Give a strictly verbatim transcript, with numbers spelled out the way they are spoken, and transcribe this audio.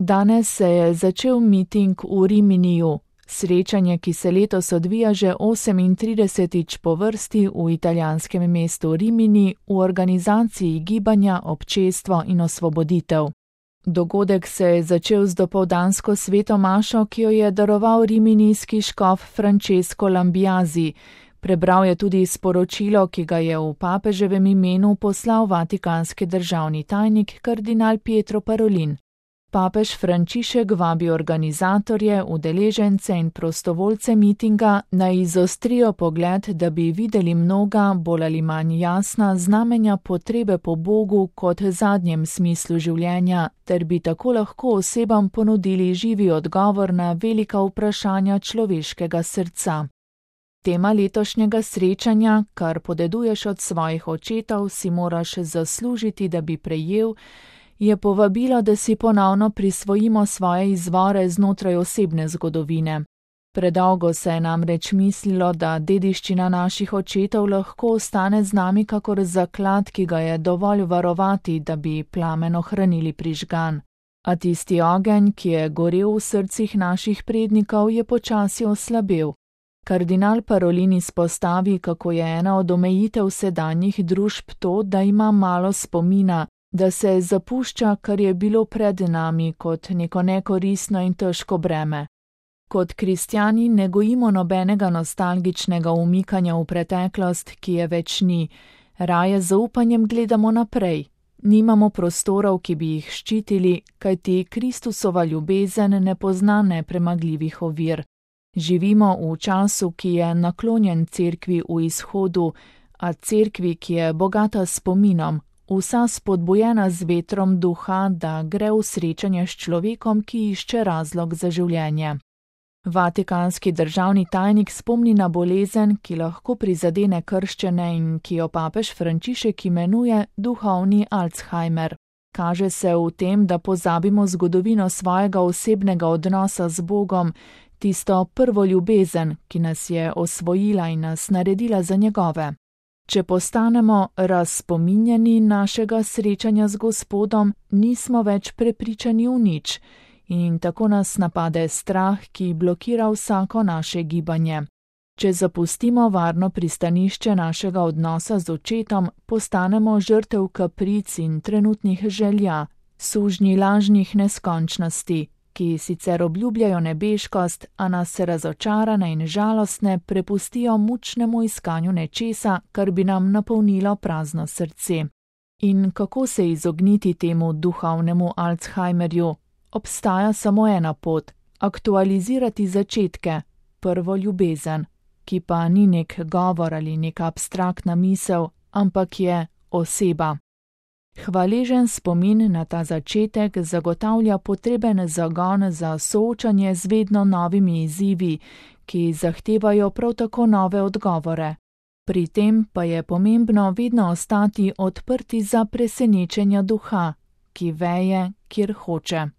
Danes se je začel miting v Riminiju, srečanje, ki se letos odvija že osemintridesetič po vrsti v italijanskem mestu Rimini v organizaciji gibanja Občestvo in osvoboditev. Dogodek se je začel z dopoldansko sveto mašo, ki jo je daroval riminijski škof Francesco Lambiasi. Prebral je tudi sporočilo, ki ga je v papeževem imenu poslal vatikanski državni tajnik kardinal Pietro Parolin. Papež Frančišek vabi organizatorje, udeležence in prostovoljce mitinga naj izostrijo pogled, da bi videli mnoga, bolj ali manj jasna, znamenja potrebe po Bogu kot zadnjem smislu življenja, ter bi tako lahko osebam ponudili živi odgovor na velika vprašanja človeškega srca. Tema letošnjega srečanja, kar podeduješ od svojih očetov, si moraš zaslužiti, da bi prejel, je povabilo, da si ponovno prisvojimo svoje izvore znotraj osebne zgodovine. Predolgo se je namreč mislilo, da dediščina naših očetov lahko ostane z nami kakor zaklad, ki ga je dovolj varovati, da bi plamen ohranili prižgan. A tisti ogenj, ki je gorel v srcih naših prednikov, je počasi oslabel. Kardinal Parolin izpostavi, kako je ena od omejitev sedanjih družb to, da ima malo spomina, da se zapušča, kar je bilo pred nami, kot neko nekoristno in težko breme. Kot kristjani ne gojimo nobenega nostalgičnega umikanja v preteklost, ki je več ni, raje z zaupanjem gledamo naprej. Nimamo prostorov, ki bi jih ščitili, kajti Kristusova ljubezen ne pozna nepremagljivih ovir. Živimo v času, ki je naklonjen cerkvi v izhodu, a cerkvi, ki je bogata spominom, vsa spodbujena z vetrom duha, da gre v srečanje s človekom, ki išče razlog za življenje. Vatikanski državni tajnik spomni na bolezen, ki lahko prizadene krščene in ki jo papež Frančišek imenuje duhovni Alzheimer. Kaže se v tem, da pozabimo zgodovino svojega osebnega odnosa z Bogom, tisto prvo ljubezen, ki nas je osvojila in nas naredila za njegove. Če postanemo razspominjani našega srečanja z Gospodom, nismo več prepričani v nič in tako nas napade strah, ki blokira vsako naše gibanje. Če zapustimo varno pristanišče našega odnosa z očetom, postanemo žrtev kapric in trenutnih želja, sužnji lažnih neskončnosti, ki sicer obljubljajo nebeškost, a nas razočarane in žalostne prepustijo mučnemu iskanju nečesa, kar bi nam napolnilo prazno srce. In kako se izogniti temu duhovnemu Alzheimerju? Obstaja samo ena pot, aktualizirati začetke, prvo ljubezen, ki pa ni nek govor ali neka abstraktna misel, ampak je oseba. Hvaležen spomin na ta začetek zagotavlja potreben zagon za soočanje z vedno novimi izzivi, ki zahtevajo prav tako nove odgovore. Pri tem pa je pomembno vedno ostati odprti za presenečenja duha, ki veje, kjer hoče.